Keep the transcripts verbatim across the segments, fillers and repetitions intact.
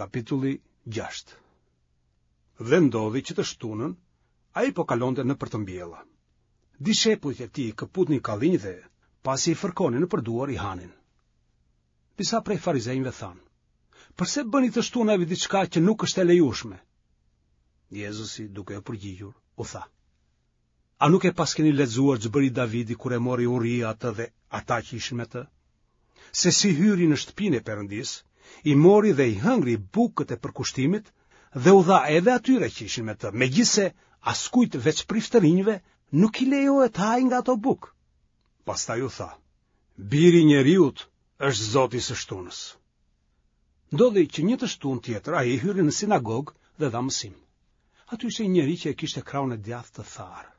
Kapitulli gjashtë. Dhe ndodhi që të shtunën, ai po kalonte nëpër të mbjella. Dishepujt e tij këputnin kallinj dhe, pasi i fërkonin nëpër duar, i hanin. Disa prej farizenjve thanë, përse bëni të shtunave diçka që nuk është e lejueshme? Jezusi, duke u përgjigjur, u tha, A nuk e paskeni lexuar ç'bëri Davidi kur e mori uria atë dhe ata që ishin me të? Se si hyri në shtëpinë e Perëndisë, i mori dhe i hëngri bukët e përkushtimit dhe u dha edhe atyre që ishin me të, megjithëse askujt veç priftërinjve nuk i lejohet të hajë nga ato bukë. Pastaj u tha, Biri i njeriut është Zoti i së shtunës. Ndodhi që një të shtunë tjetër ai hyri në sinagogë dhe dha mësim. Aty ishte një njeri që e kishte krahun e djathtë të tharë.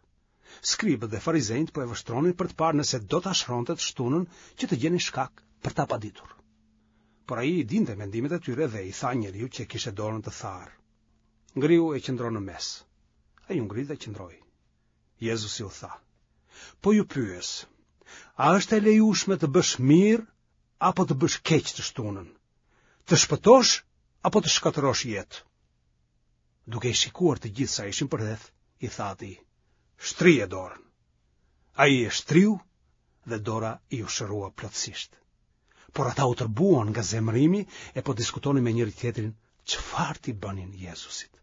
Skribët dhe farizenjtë po e vështronin për të parë nëse do ta shëronte të shtunën që të gjenin shkak për ta paditur. Por ai i dinte mendimet e tyre dhe i tha njeriut që e kishte dorën të tharë. Ngrihu e qëndro në mes. Ai u ngrit dhe qëndroi. Jezusi u tha: Po ju pyes, a është e lejueshme të bësh mirë apo të bësh keq të shtunën? Të shpëtosh apo të shkatërrosh jetë? Duke i shikuar të gjithë sa ishin përreth, i tha atij, shtrije dorën. Ai e shtriu dhe dora iu shërua plotësisht. Por ata u tërbuan nga zemërimi e po diskutonin me njëri-tjetrin çfarë t'i bënin Jezusit.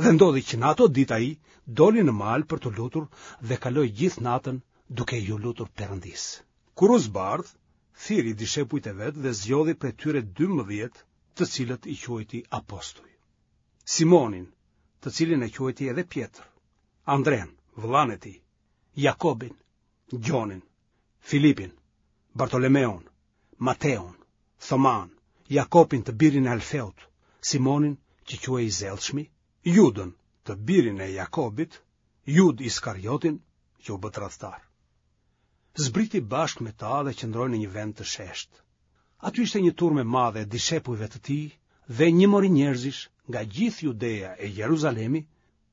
Dhe ndodhi që në ato ditë ai doli në mal për t'u lutur dhe kaloi gjithë natën duke iu lutur Perëndisë. Kur u zbardh, thirri dishepujt e vet dhe zgjodhi prej tyre dymbëdhjetë, të cilët i quajti apostuj. Simonin, të cilin e quajti edhe Pjetër, Andren, vëllanë e tij, Jakobin, Gjonin, Filipin, Bartolomeun, Mateun, Thoman, Jakobin të birin e Alfeut, Simonin që quhej i zellshmi, Judën të birin e Jakobit, Judë Iskariotin që u bë tradhtar. Zbriti bashkë me ta dhe qëndroi në një vend të sheshtë. Aty ishte një turmë e madhe e dishepujve të tij dhe një mori njerëzish nga gjithë Judeja e Jeruzalemi,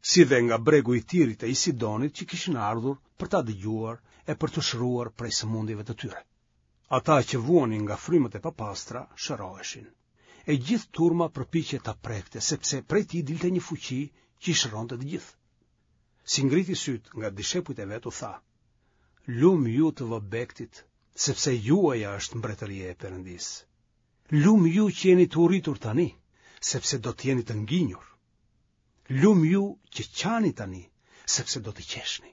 si dhe nga bregu i Tirit e i Sidonit që kishin ardhur për ta dëgjuar e për t'u shëruar prej sëmundjeve të tyre. Ata që vuanin nga frymët e papastra shëroheshin. E gjithë turma përpiqej ta prekte, sepse prej tij dilte një fuqi që i shëronte të gjithë. Si ngriti sytë nga dishepujt e vet u tha, Lum ju të vobektit, sepse juaja është mbretëria e Perëndisë. Lum ju që jeni të uritur tani, sepse do të jeni të nginjur. Lum ju që qani tani, sepse do të qeshni.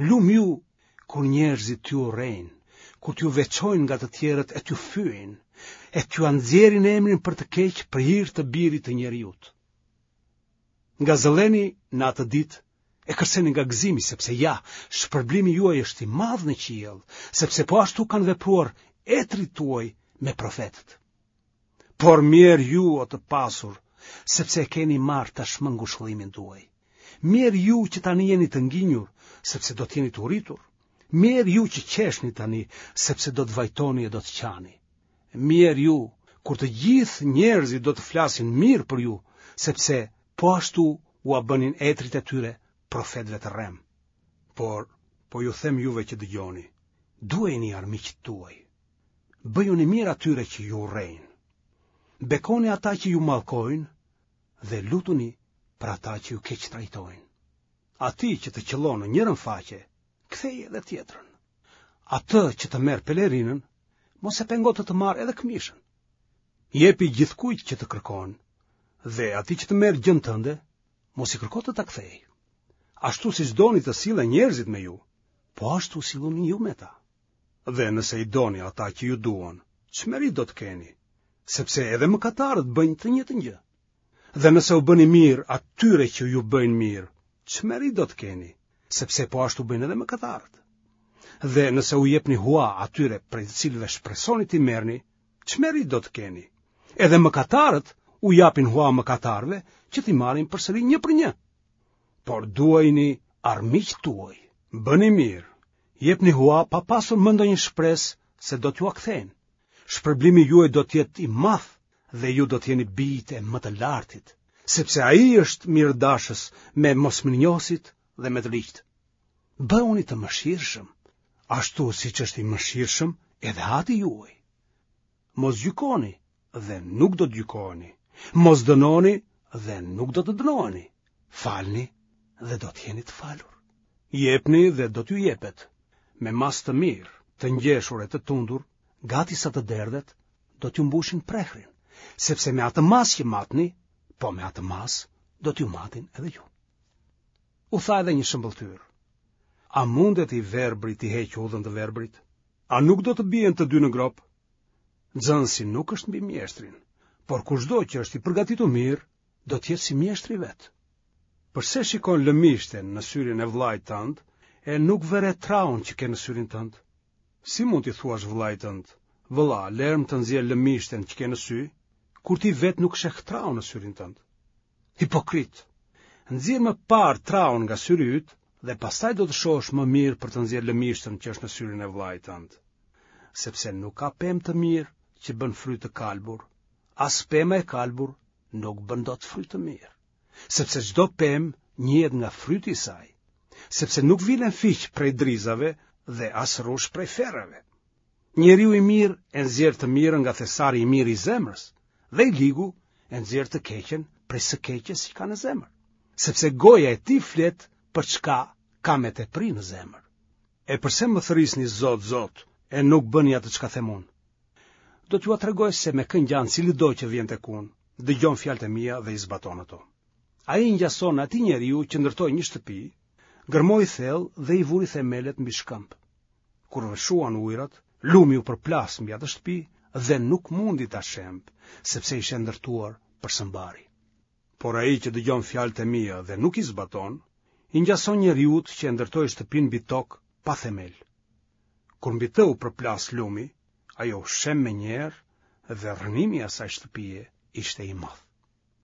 Lum ju kur njerëzit t'ju urrejnë, kur t'ju veçojnë nga të tjerët e t'ju fyejnë, e t'jua nxjerrin emrin për të keq për hir të birit të njeriut. Ngazëlleni në atë ditë e kërceni nga gëzimi, sepse ja, shpërblimi juaj është i madh në qiell, sepse po ashtu kanë vepruar etërit tuaj me profetët. Por mjerë ju o të pasur, sepse e keni marrë tashmë ngushëllimin tuaj. Mjerë ju që tani jeni të nginjur, sepse do të jeni të uritur. Mjerë ju që qeshni tani, sepse do të vajtoni e do të qani. Mjerë ju, kur të gjithë njerëzit do të flasin mirë për ju, sepse po ashtu ua bënin etërit e tyre profetëve të rremë. Por, po ju them juve që dëgjoni, duajini armiqtë tuaj. Bëjuni mirë atyre që ju urrejnë. Bekoni ata që ju mallkojnë dhe lutuni për ata që ju keqtrajtojnë. Atij që të qëllon në njërën faqe, ktheji edhe tjetrën. Atë që të merr pelerinën, mos e pengo të të marrë edhe këmishën. Jepi gjithkujt që të kërkon, dhe atij që të merr gjënë tënde, mos i kërko të ta kthejë. Ashtu siç doni të sillen njerëzit me ju, po ashtu silluni ju me ta. Dhe nëse i doni ata që ju duan, ç'meritë do të keni, sepse edhe mëkatarët bëjnë të njëjtën gjë. Dhe nëse u bëni mirë atyre që ju bëjnë mirë, ç'meritë do të keni, sepse po ashtu bëjnë edhe mëkatarët. Dhe nëse u jepni hua atyre prej të cilëve shpresoni t'i merrni, ç'meritë do të keni? Edhe mëkatarët u japin hua mëkatarëve që t'i marrin përsëri një për një. Por duajini armiqtë tuaj, bëni mirë, jepni hua pa pasur më ndonjë shpresë se do t'jua kthejnë. Shpërblimi juaj do të jetë i madh dhe ju do të jeni bijtë e më të lartit, sepse ai është mirëdashës me mosmirënjohësit dhe me të ligjtë. Bëhuni të mëshirshëm, ashtu siç është i mëshirshëm edhe Ati juaj. Mos gjykoni dhe nuk do të gjykoheni, Mos dënoni dhe nuk do të dënoheni. Falni dhe do të jeni të falur. Jepni dhe do t'ju jepet. Me masë të mirë, të ngjeshur e të tundur, gati sa të derdhet, do t'ju mbushin prehrin, sepse me atë masë që matni, po me atë masë do t'ju matin edhe ju. U tha edhe një shëmbëlltyrë. A mundet i verbri t'i heqë udhën të verbrit? A nuk do të bien të dy në gropë? Nxënësi nuk është mbi mjeshtrin, por kushdo që është i përgatitur mirë, do të jetë si mjeshtri vetë. Përse shikon lëmishten në syrin e vëllait tënd e nuk vëre traun që ke në syrin tënd? Si mund t'i thuash vëllait tënd, vëlla, lërmë të nxjerr lëmishten që ke në sy, kur ti vetë nuk sheh traun në syrin tënd? Hipokrit! Nxjerr më parë traun nga syri yt dhe pastaj do të shohësh më mirë për të nxjerrë lëmishten që është në syrin e vëllait tënd. Sepse nuk ka pemë të mirë që bën fryt të kalbur, as pema e kalbur nuk bën dot fryt të mirë. Sepse çdo pemë njihet nga fryti i saj, sepse nuk vilen fiq prej drizave dhe as rrush prej ferrave. Njeriu i mirë e nxjerr të mirën nga thesari i mirë i zemrës, dhe i ligu e nxjerr të keqen prej së keqes që ka në zemër, sepse goja e tij flet për çka ka me tepri në zemër. E përse më thërrisni Zot, Zot, e nuk bëni atë çka them unë? Do t'jua tregoj se me kë ngjan cilido që vjen tek unë, dëgjon fjalët e mia dhe i zbaton ato. Ai ngjason atij njeriu që ndërtoi një shtëpi, gërmoi thellë dhe i vuri themelet mbi shkëmb. Kur vërshuan ujërat, lumi u përplas mbi atë shtëpi dhe nuk mundi ta shembë, sepse ishte ndërtuar për së mbari. Por ai që dëgjon fjalët e mia dhe nuk i zbaton, i ngjason njeriut që e ndërtoi shtëpinë mbi tokë pa themel. Kur mbi të u përplas lumi, ajo u shemb menjëherë dhe rrënimi i asaj shtëpie ishte i madh.